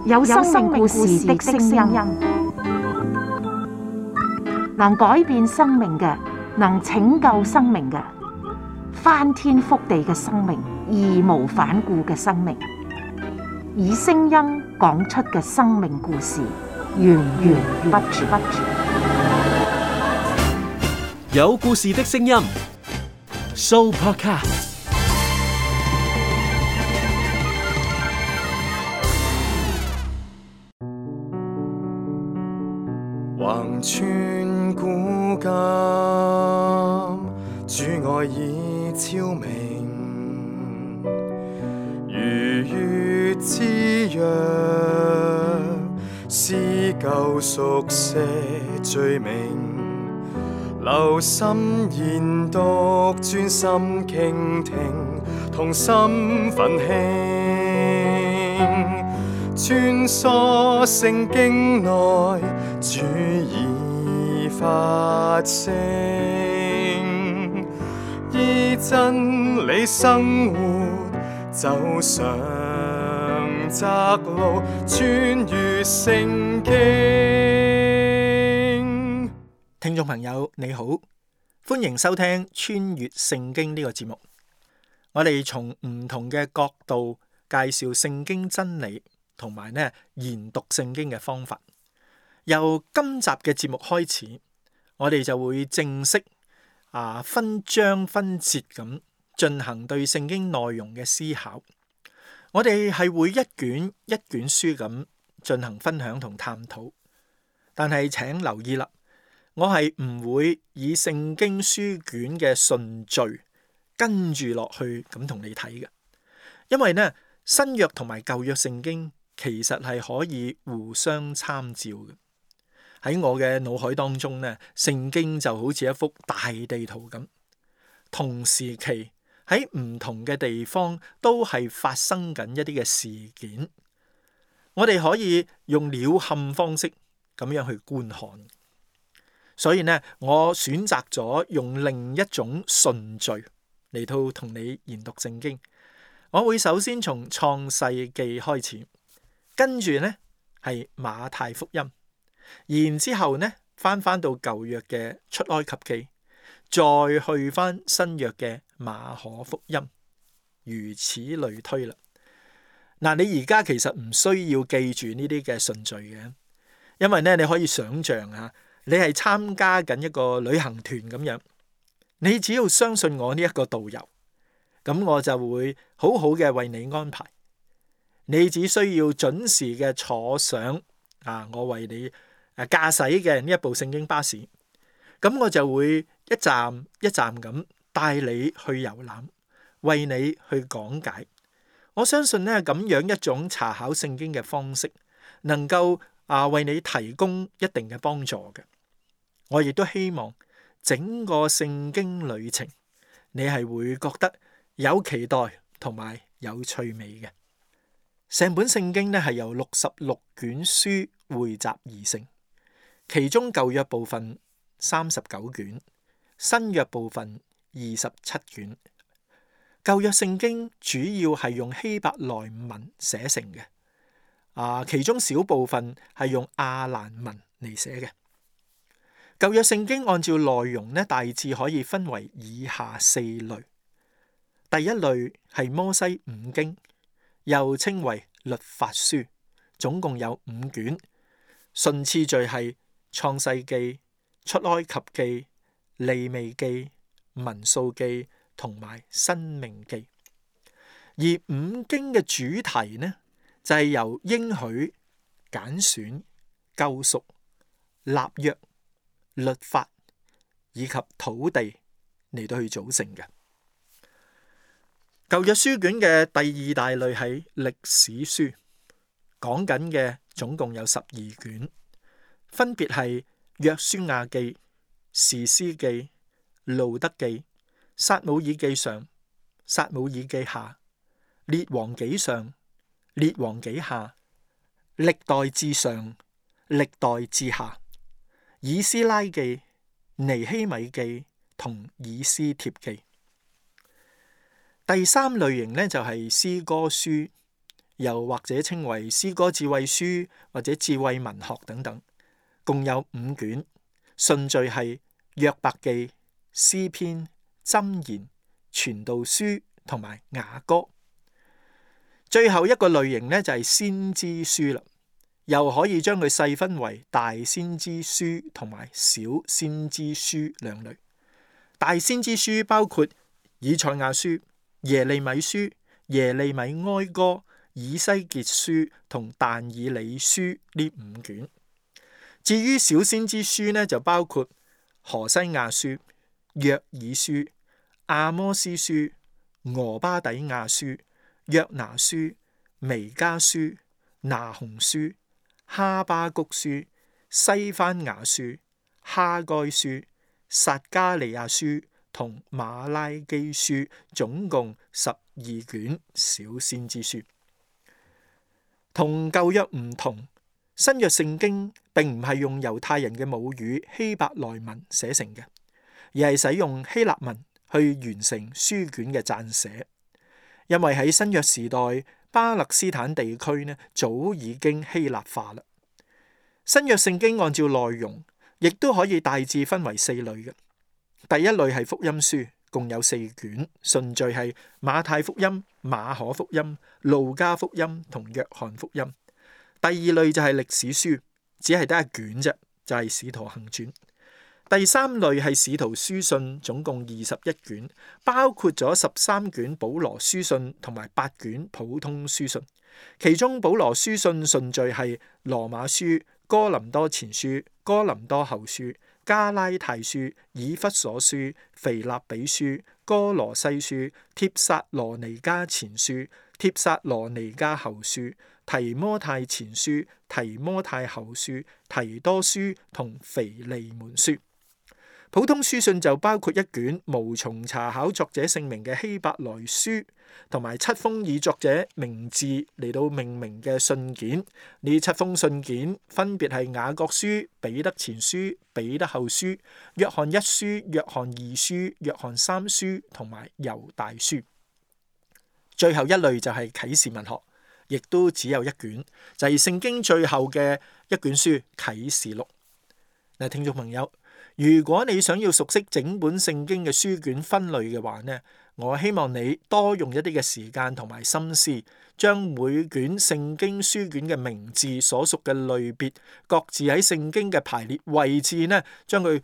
有生命故事的聲音，能改變生命嘅，能拯救生命嘅，翻天覆地嘅生命，義無反顧嘅生命，以聲音講出嘅生命故事，源源不絕。有故事的聲音 ，Sooopodcast。橫穿古今，主愛已超明，如月之約，撕舊熟寫罪名，留心研讀，專心傾聽，同心奮興，穿梭聖經內，主已發聲，依真理生活，走上窄路，穿越聖經。聽眾朋友你好，歡迎收聽穿越聖經呢個節目。我哋從唔同嘅角度介紹聖經真理，同埋研讀聖經嘅方法。由今集嘅節目開始，我哋就會正式分章分節咁進行對聖經內容嘅思考。我哋係會一卷一卷書咁進行分享同探討，但係請留意啦，我係唔會以聖經書卷嘅順序跟住落去咁同你睇嘅，因為新約同埋舊約聖經其實係可以互相參照嘅。喺我嘅腦海當中聖經就好似一幅大地圖咁，同時期喺唔同嘅地方都係發生緊一啲嘅事件，我哋可以用鳥瞰方式咁樣去觀看。所以我選擇咗用另一種順序嚟到同你研讀聖經。我會首先從創世記開始，跟住係馬太福音，然之後翻到舊約嘅出埃及記，再去翻新約嘅馬可福音，如此類推啦。你而家其實唔需要記住呢啲嘅順序嘅，因為你可以想象你係參加緊一個旅行團咁樣，你只要相信我呢一個導遊，咁我就會好好嘅為你安排。你只需要準時嘅坐上我為你駕駛嘅呢一部聖經巴士，咁我就會一站一站咁帶你去遊覽，為你去講解。我相信咁樣一種查考聖經嘅方式，能夠為你提供一定嘅幫助嘅。我亦都希望整個聖經旅程，你係會覺得有期待同埋有趣味嘅。成本聖經係由66卷書匯集而成，其中舊約部分39卷，新約部分27卷。舊約聖經主要係用希伯來文寫成嘅，其中小部分係用亞蘭文嚟寫嘅。舊約聖經按照內容大致可以分為以下4類。第一類係摩西五經，又稱為律法書，總共有5卷，順次序係創世記、出埃及記、利未記、民數記同埋申命記。而5經嘅主題就係由應許、揀選、救贖、立約、律法以及土地嚟到去組成嘅。舊約書卷嘅第二大類係歷史書，講緊嘅總共有12卷，分別係約書亞記、士師記、路得記、撒母耳記上、撒母耳記下、列王紀上、列王紀下、歷代志上、歷代志下、以斯拉記、尼希米記同以斯帖記。第三類型就係詩歌書，又或者稱為詩歌智慧書或者智慧文學等等，共有5卷，順序係約伯記、詩篇、箴言、傳道書同埋雅歌。最後一個類型呢，就係先知書啦，又可以將佢細分為大先知書同埋小先知書兩類。大先知書包括以賽亞書、耶利米書、耶利米哀歌、以西結書同但以理書呢5卷。至於小先知書呢，就包括何西亞書、約珥書、阿摩司書、俄巴底亞書、約拿書、彌迦書、拿鴻書、哈巴谷書、西番雅書、哈該書、撒迦利亞書同馬拉基書，總共12卷小先知書。同舊約唔同，新約聖經並唔係用猶太人嘅母語希伯來文寫成嘅，而係使用希臘文去完成書卷嘅撰寫。因為喺新約時代，巴勒斯坦地區呢早已經希臘化啦。新約聖經按照內容，亦都可以大致分為4類嘅。第一類係福音書，共有4卷，順序係馬太福音、馬可福音、路加福音同約翰福音。第二類就係歷史書，只係得1卷啫，就係使徒行傳。第三類係使徒書信，總共21卷，包括咗13卷保羅書信同埋8卷普通書信。其中保羅書信順序係羅馬書、哥林多前書、哥林多後書、加拉太書、以弗所書、腓立比書、哥羅西書、帖撒羅尼迦前書、帖撒羅尼迦後書、提摩太前書、提摩太後書、提多書同腓利門書。普通書信就包括1卷無從查考作者姓名嘅希伯來書，同埋7封以作者名字嚟到命名嘅信件。呢7封信件分別係雅各書、彼得前書、彼得後書、約翰1書、約翰2書、約翰3書同埋猶大書。最後一類就係啟示文學，亦都只有1卷，就係聖經最後嘅1卷書啟示錄。嗱，聽眾朋友，如果你想要熟悉整本聖經嘅書卷分類嘅話呢，我希望你多用一啲嘅時間同埋心思，將每卷聖經書卷嘅名字所屬嘅類別，各自喺聖經嘅排列位置呢，將佢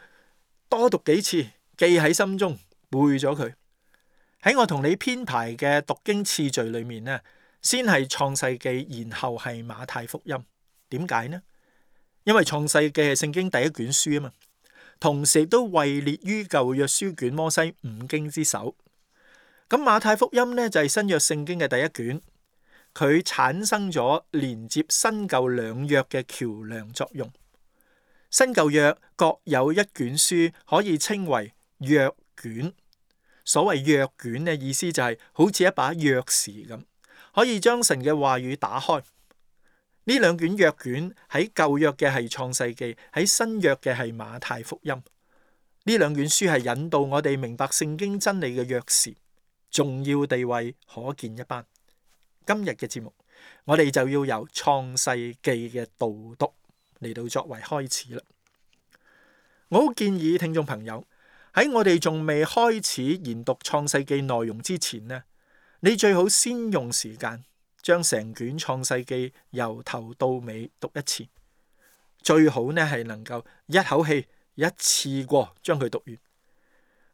多讀幾次，記喺心中，背咗佢。喺我同你編排嘅讀經次序裏面呢，先係創世記，然後係馬太福音。點解呢？因為創世記係聖經第1卷書啊嘛。同時都位列於舊約書卷摩西5經之首。咁馬太福音呢，就係新約聖經嘅第1卷，佢產生咗連接新舊兩約嘅橋梁作用。新舊約各有1卷書，可以稱為約卷。所謂約卷嘅意思就係好似一把鑰匙咁，可以將神嘅話語打開。呢2卷約卷喺舊約嘅係創世記，喺新約嘅係馬太福音。呢2卷書係引導我哋明白聖經真理嘅鑰匙，重要地位可見一斑。今日嘅節目，我哋就要由創世記嘅導讀嚟到作為開始啦。我好建議聽眾朋友喺我哋仲未開始研讀創世記內容之前呢，你最好先用時間將成卷創世記由頭到尾讀一次，最好呢係能夠一口氣一次過將佢讀完。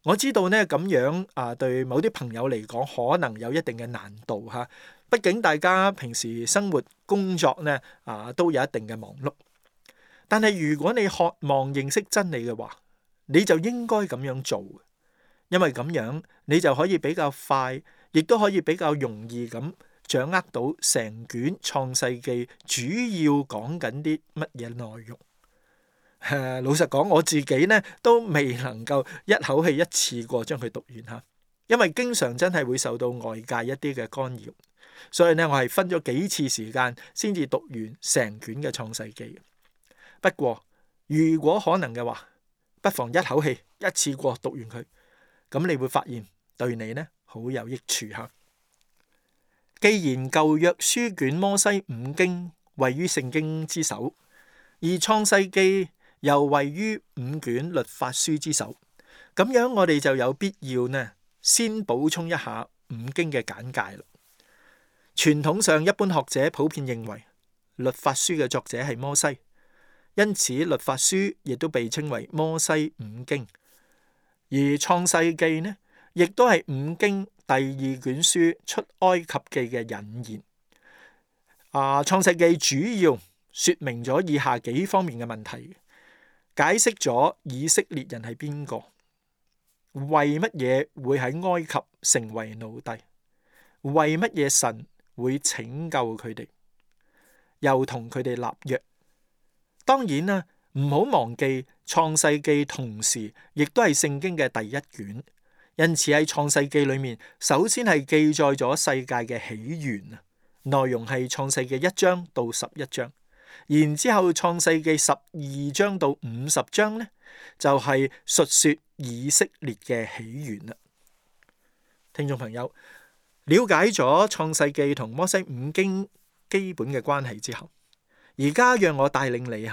我知道呢咁樣對某啲朋友嚟講可能有一定嘅難度吓，畢竟大家平時生活工作呢都有一定嘅忙碌。但係如果你渴望認識真理嘅話，你就應該咁樣做，因為咁樣你就可以比較快，亦都可以比較容易咁掌握到成卷創世記主要講緊啲乜嘢內容。老實講，我自己呢都未能夠一口氣一次過將佢讀完吓，因為經常真係會受到外界一啲嘅干擾，所以呢我係分咗幾次時間先至讀完成卷嘅創世記。不過如果可能嘅話，不妨一口氣一次過讀完佢，咁你會發現對你呢好有益處吓。既然舊約書卷摩西五經位於聖經之首，而創世記又位於五卷律法書之首，咁樣我哋就有必要先補充一下五經嘅簡介啦。傳統上，一般學者普遍認為律法書嘅作者係摩西，因此律法書亦都被稱為摩西五經。而創世記亦都係五經第二卷書出埃及記嘅引言。創世記主要說明咗以下幾方面嘅問題，解釋咗以色列人係邊個，為乜嘢會喺埃及成為奴隸，為乜嘢神會拯救佢哋，又同佢哋立約。當然啦，唔好忘記創世記同時亦都係聖經嘅第一卷，因此喺創世記裏面，首先係記載咗世界嘅起源啊，內容係創世記1章到11章，然之後創世記12章到50章就係述說以色列嘅起源啦。聽眾朋友，了解咗創世記同摩西五經基本嘅關係之後，而家讓我帶領你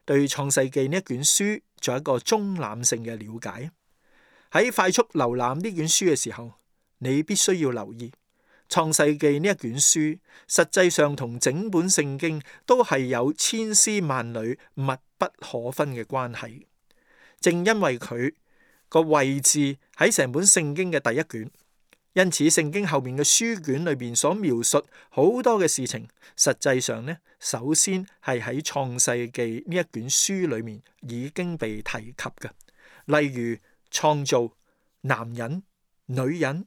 對創世記呢一卷書做一個中覽性嘅了解。喺快速瀏覽呢卷書嘅時候，你必須要留意創世記呢一卷書實際上同整本聖經都係有千絲萬縷、密不可分嘅關係。正因為佢個位置喺成本聖經嘅第一卷，因此聖經後面嘅書卷裏邊所描述好多嘅事情，實際上首先係喺創世記呢一卷書裏面已經被提及嘅，例如創造、男人、女人、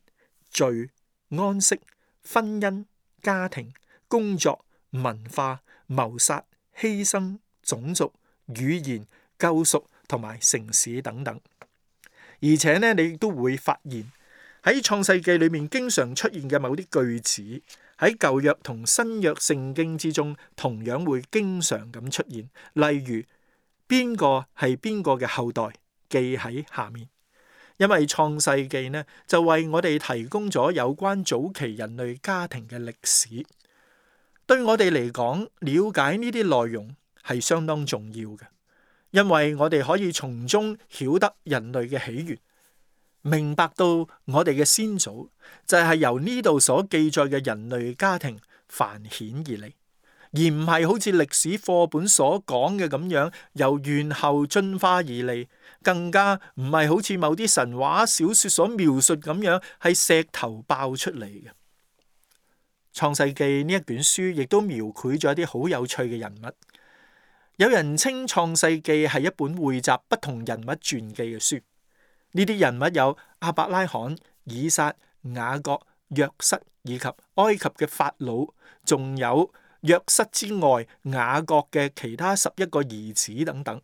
罪、安息、婚姻、家庭、工作、文化、謀殺、犧牲、種族、語言、救贖同埋城市等等。而且你亦都會發現喺創世記裏面經常出現嘅某啲句子，喺舊約同新約聖經之中同樣會經常咁出現。例如邊個係邊個嘅後代，記喺下面。因為創世記就為我哋提供咗有關早期人類家庭嘅歷史，對我哋嚟講，了解呢啲內容係相當重要嘅，因為我哋可以從中曉得人類嘅起源，明白到我哋嘅先祖就係由呢度所記載嘅人類家庭繁衍而嚟，而唔係好似歷史課本所講嘅咁樣由猿猴進化而嚟，更加唔係好似某啲神話小說所描述咁樣係石頭爆出嚟嘅。創世記呢一卷書亦都描繪咗一啲好有趣嘅人物，有人稱創世記係一本匯集不同人物傳記嘅書。呢啲人物有亞伯拉罕、以撒、雅各、約瑟以及埃及嘅法老，仲有約瑟之外雅各嘅其他11個兒子等等。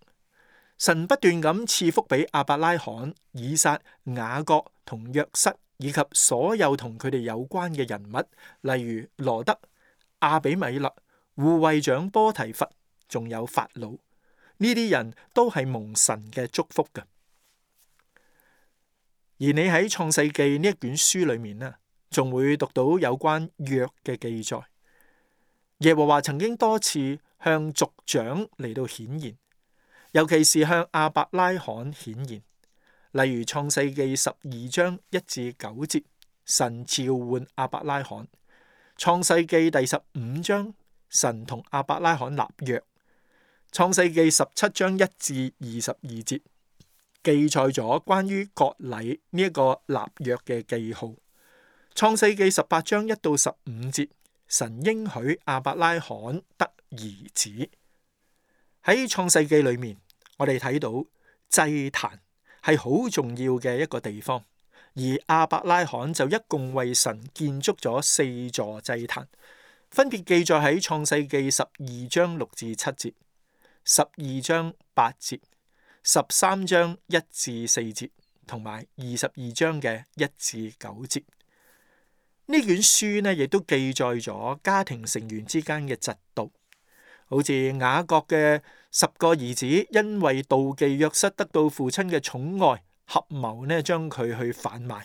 神不斷咁賜福俾亞伯拉罕、以撒、雅各同約瑟以及所有同佢哋有關嘅人物，例如羅德、亞比米勒、護衛長波提乏，仲有法老。呢啲人都係蒙神嘅祝福嘅。而你喺創世記呢一卷書裏面仲會讀到有關約嘅記載。耶和華曾經多次向族長嚟到顯現，尤其是向亞伯拉罕顯現。例如創世記12章1至9節，神召喚亞伯拉罕；創世記第15章，神同亞伯拉罕立約；創世記17章1至22節，記載咗關於割禮呢一個立約嘅記號。創世記18章1到15節，神應許亞伯拉罕得兒子。喺創世記裏面，我哋睇到祭壇係好重要嘅一個地方，而亞伯拉罕就一共為神建築咗4座祭壇，分別記載喺創世記12章6至7節、12章8節、13章1至4節同埋22章嘅1至9節。呢卷書亦都記載咗家庭成員之間嘅嫉妒，好似雅各嘅10個兒子因為妒忌約瑟得到父親嘅寵愛，合謀將佢去販賣。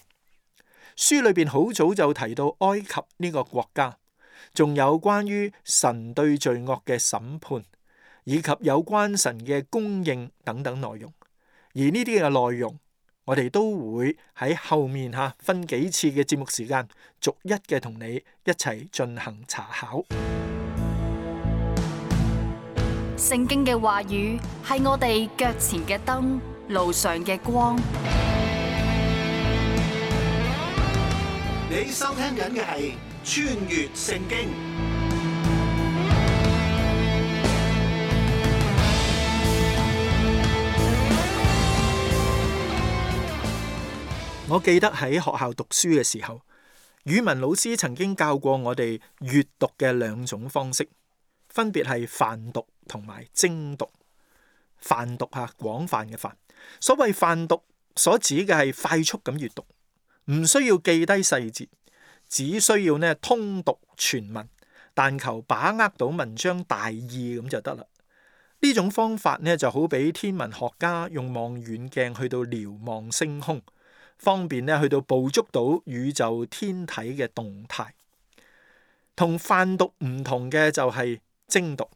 書裏邊好早就提到埃及呢個國家，仲有關於神對罪惡嘅審判，以及有關神嘅供應等等內容。而呢啲嘅內容，我哋都會喺後面分幾次嘅節目時間，逐一嘅同你一齊進行查考。聖經嘅話語係我哋腳前嘅燈，路上嘅光。你收聽緊嘅係穿越聖經。我記得喺學校讀書嘅時候，語文老師曾經教過我哋閱讀嘅兩種方式，分別係泛讀同埋精讀。泛讀廣泛嘅泛，所謂泛讀所指嘅係快速咁閱讀，唔需要記低細節，只需要通讀全文，但求把握到文章大意咁就得啦。呢種方法就好比天文學家用望遠鏡去到瞭望星空，方便去到捕捉到宇宙天體嘅動態。同泛讀唔同嘅就係精讀，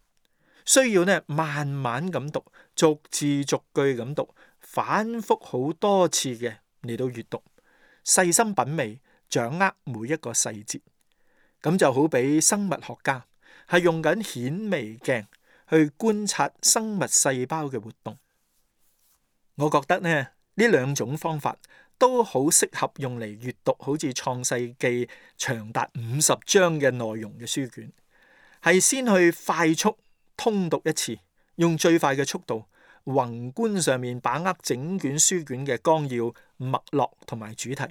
需要慢慢咁讀，逐字逐句咁讀，反覆好多次嘅嚟到閱讀，細心品味，掌握每一個細節。咁就好比生物學家係用緊顯微鏡去觀察生物細胞嘅活動。我覺得呢兩種方法都好適合用嚟閱讀好似創世記長達50章嘅內容嘅書卷，係先去快速通讀一次，用最快嘅速度，宏觀上面把握整卷書卷嘅綱要、脈絡同埋主題，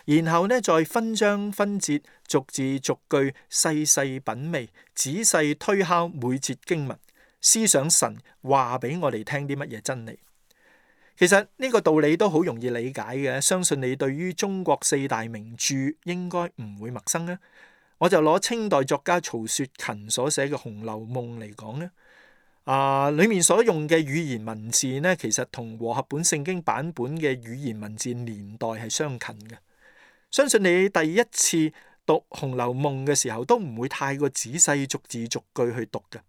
然後再分章分節，逐字逐句細細品味，仔細推敲每節經文，思想神話俾我哋聽啲乜嘢真理。其實呢個道理都好容易理解嘅，相信你對於中國4大名著應該唔會陌生啦。我就攞清代作家曹雪芹所寫嘅《紅樓夢》嚟講咧，裏面所用嘅語言文字呢，其實同和合本聖經版本嘅語言文字年代係相近嘅。相信你第一次讀《紅樓夢》嘅時候，都唔會太過仔細逐字逐句去讀嘅，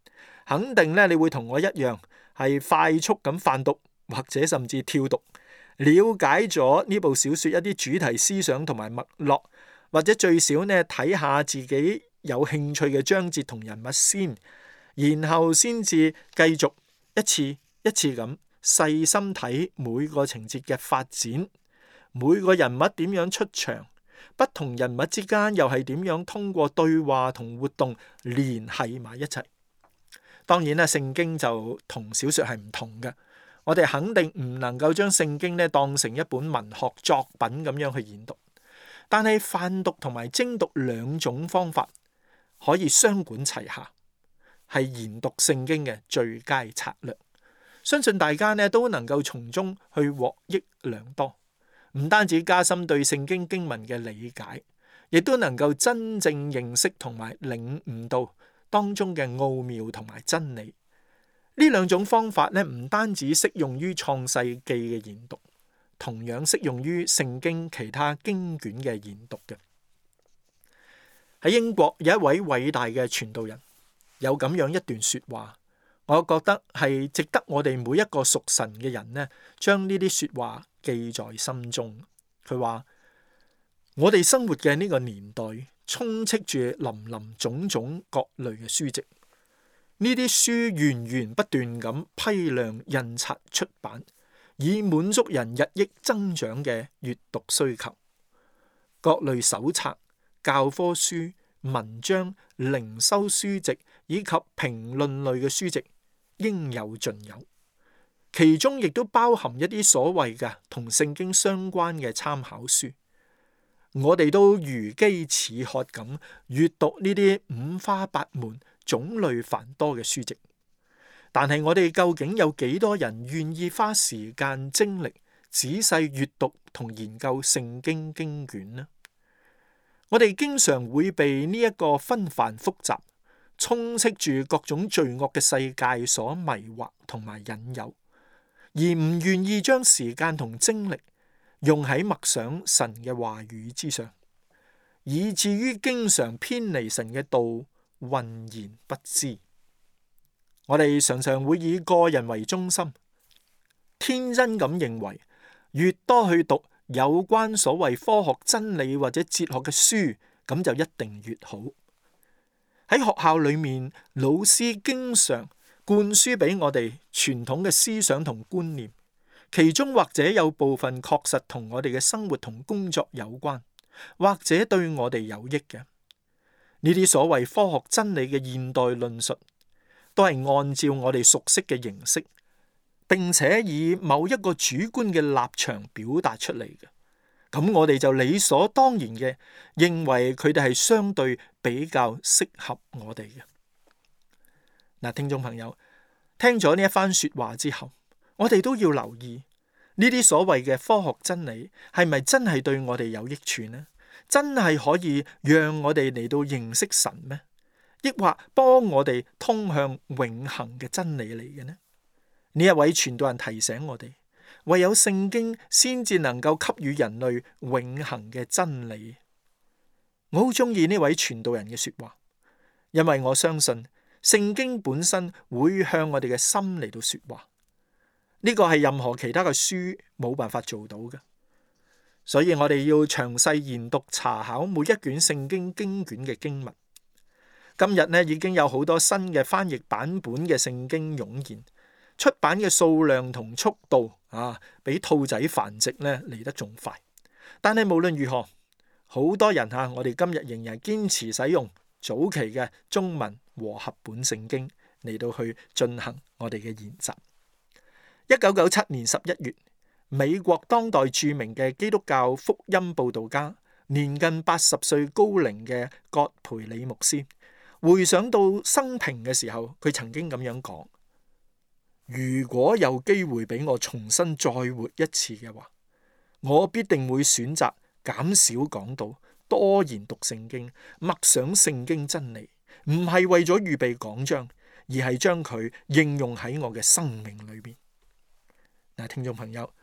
肯定呢，你會同我一樣係快速咁泛讀，或者甚至跳讀，了解咗呢部小說一啲主題思想同埋脈絡，或者最少睇下自己有興趣嘅章節同人物先，然後先至繼續一次一次咁細心睇每個情節嘅發展，每個人物點樣出場，不同人物之間又係點樣通過對話同活動聯繫埋一齊。當然啦，聖經就同小說係唔同嘅。我哋肯定唔能夠將聖經當成一本文學作品咁樣去研讀，但係泛讀同埋精讀兩種方法可以雙管齊下，係研讀聖經嘅最佳策略。相信大家都能夠從中去獲益良多，唔單止加深對聖經經文嘅理解，亦都能夠真正認識同埋領悟到當中嘅奧妙同埋真理。呢兩種方法唔單止適用於創世記嘅研讀，同樣適用於聖經其他經卷嘅研讀嘅。喺英國有一位偉大嘅傳道人，有咁樣一段說話，我覺得係值得我哋每一個屬神嘅人將呢啲說話記在心中。佢話：我哋生活嘅呢個年代充斥住林林種種各類嘅書籍。呢啲書源源不斷咁批量印刷出版，以滿足人日益增長嘅閱讀需求。各類手冊、教科書、文章、靈修書籍以及評論類嘅書籍應有盡有，其中亦都包含一啲所謂嘅同聖經相關嘅參考書。我哋都如飢似渴咁閱讀呢啲五花八門、種類繁多嘅書籍，但係我哋究竟有幾多人願意花時間精力仔細閱讀同研究聖經經卷呢？我哋經常會被呢一個紛繁複雜、充斥住各種罪惡嘅世界所迷惑同埋引誘，而唔願意將時間同精力用喺默想神嘅話語之上，以至於經常偏離神嘅道，渾然不知。我哋常常會以個人為中心，天真咁認為越多去讀有關所謂科學真理或者哲學嘅書，咁就一定越好。喺學校裏面，老師經常灌輸俾我哋傳統嘅思想同觀念，其中或者有部分確實同我哋嘅生活同工作有關，或者對我哋有益嘅。呢啲所謂科學真理嘅現代論述，都係按照我哋熟悉嘅形式，並且以某一個主觀嘅立場表達出嚟嘅。咁我哋就理所當然嘅認為佢哋係相對比較適合我哋嘅。嗱，聽眾朋友，聽咗呢一番說話之後，我哋都要留意呢啲所謂嘅科學真理係咪真係對我哋有益處呢？真係可以讓我哋嚟到認識神咩？抑或幫我哋通向永恆嘅真理嚟嘅呢？呢一位傳道人提醒我哋，唯有聖經先至能夠給予人類永恆嘅真理。我好中意呢位傳道人嘅說話，因為我相信聖經本身會向我哋嘅心嚟到說話。呢個係任何其他嘅書冇辦法做到嘅，所以我哋要詳細研讀查考每一卷聖經經卷嘅經文。今日呢，已經有好多新嘅翻譯版本嘅聖經湧現，出版嘅數量同速度比兔仔繁殖呢嚟得仲快。但係無論如何，好多人我哋今日仍然堅持使用早期嘅中文和合本聖經嚟到去進行我哋嘅研習。1997年11月，美國當代著名嘅基督教福音佈道家，年近80歲高齡嘅葛培理牧師，回想到生平嘅時候，佢曾經咁樣講：如果有機會俾我重新再活一次嘅話，我必定會選擇減少講道，多研讀聖經，默想聖經真理，唔係為咗預備講章，而係將佢應用喺我嘅生命裏邊。嗱，聽眾朋友，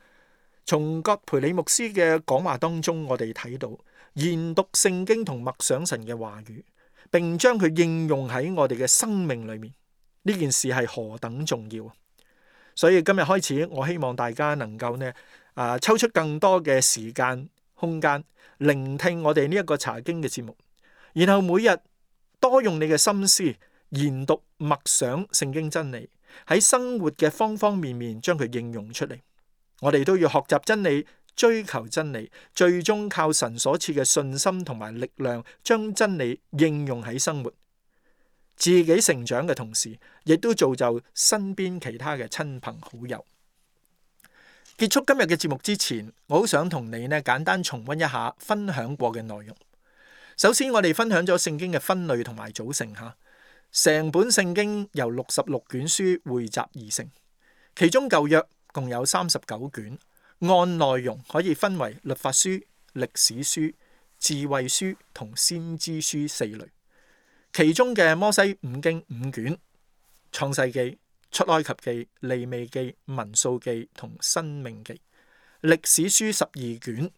從葛培理牧師嘅講話當中，我哋睇到研讀聖經同默想神嘅話語，並將佢應用喺我哋嘅生命裏面，呢件事係何等重要啊！所以今日開始，我希望大家能夠抽出更多嘅時間空間，聆聽我哋呢一個查經嘅節目，然後每日多用你嘅心思研讀默想聖經真理，喺生活嘅方方面面將佢應用出嚟。我哋都要學習真理，追求真理，最終靠神所賜嘅信心同埋力量，將真理應用喺生活，自己成長嘅同時，亦都造就身邊其他嘅親朋好友。結束今日嘅節目之前，我好想同你簡單重溫一下分享過嘅內容。首先，我哋分享咗聖經嘅分類同埋組成吓。成本聖經由66卷書匯集而成，其中舊約共有39卷，按內容可以分為律法書、歷史書、智慧書同先知書4類。其中嘅摩西五經5卷，創世記、出埃及記、利未記、民數記同申命記。歷史書12卷，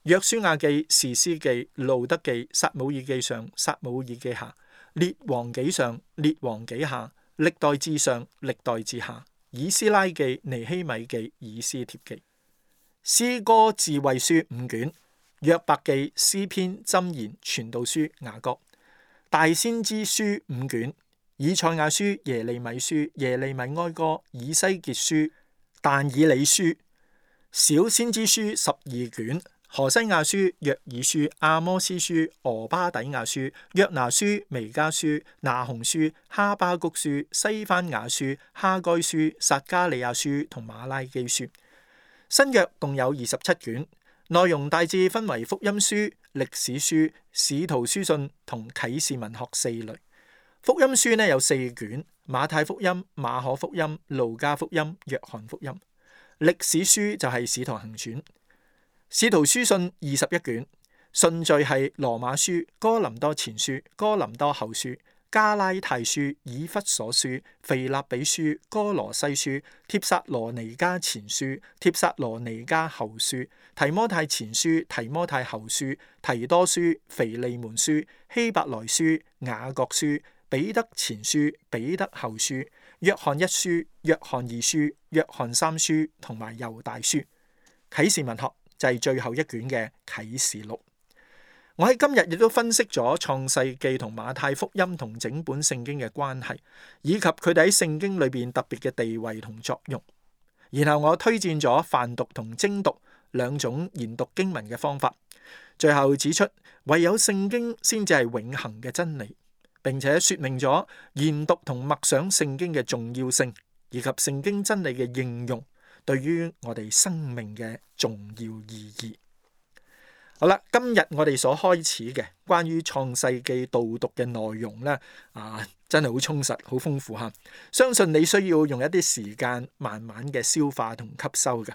約書亞記、士師記、路得記、撒母耳記上、撒母耳記下、列王紀上、列王紀下、歷代志上、歷代志下、以斯拉記、尼希米記、以斯帖記。詩歌智慧書5卷，約伯記、詩篇、箴言、傳道書、雅各。大先知書5卷，以賽亞書、耶利米書、耶利米哀歌、以西結書、但以理書。小先知書12卷，何西亞書、約珥書、阿摩司書、俄巴底亞書、約拿書、彌迦書、那鴻書、哈巴谷書、西番雅書、哈該書、撒迦利亞書同馬拉基書。新約共有27卷，內容大致分為福音書、歷史書、使徒書信同啟示文學4類。福音書有4卷，馬太福音、馬可福音、路加福音、約翰福音。歷史書就係使徒行傳。使徒書信21卷，順序係羅馬書、哥林多前書、哥林多後書、加拉太書、以弗所書、腓立比書、哥羅西書、帖撒羅尼迦前書、帖撒羅尼迦後書、提摩太前書、提摩太後書、提多書、腓利門書、希伯來書、雅各書、彼得前書、彼得後書、約翰一書、約翰二書、約翰三書同埋猶大書。啟示文學就係最後一卷嘅啟示錄。我喺今日亦都分析咗創世記同馬太福音同整本聖經嘅關係，以及佢哋喺聖經裏邊特別嘅地位同作用。然後我推薦咗泛讀同精讀兩種研讀經文嘅方法。最後指出唯有聖經先至係永恆嘅真理，並且說明咗研讀同默想聖經嘅重要性，以及聖經真理嘅應用對於我哋生命嘅重要意義。好啦，今日我哋所開始嘅關於創世記導讀嘅內容呢，真係好充實、好豐富吓。相信你需要用一啲時間慢慢嘅消化同吸收嘅。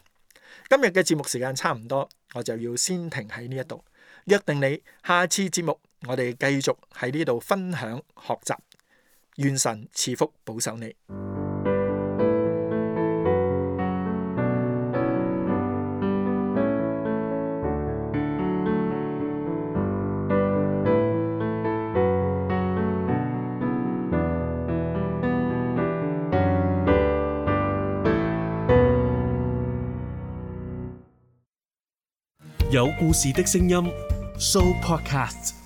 今日嘅節目時間差唔多，我就要先停喺呢一度。約定你下次節目，我哋繼續喺呢度分享學習。願神賜福保守你。有故事的聲音 Show Podcast。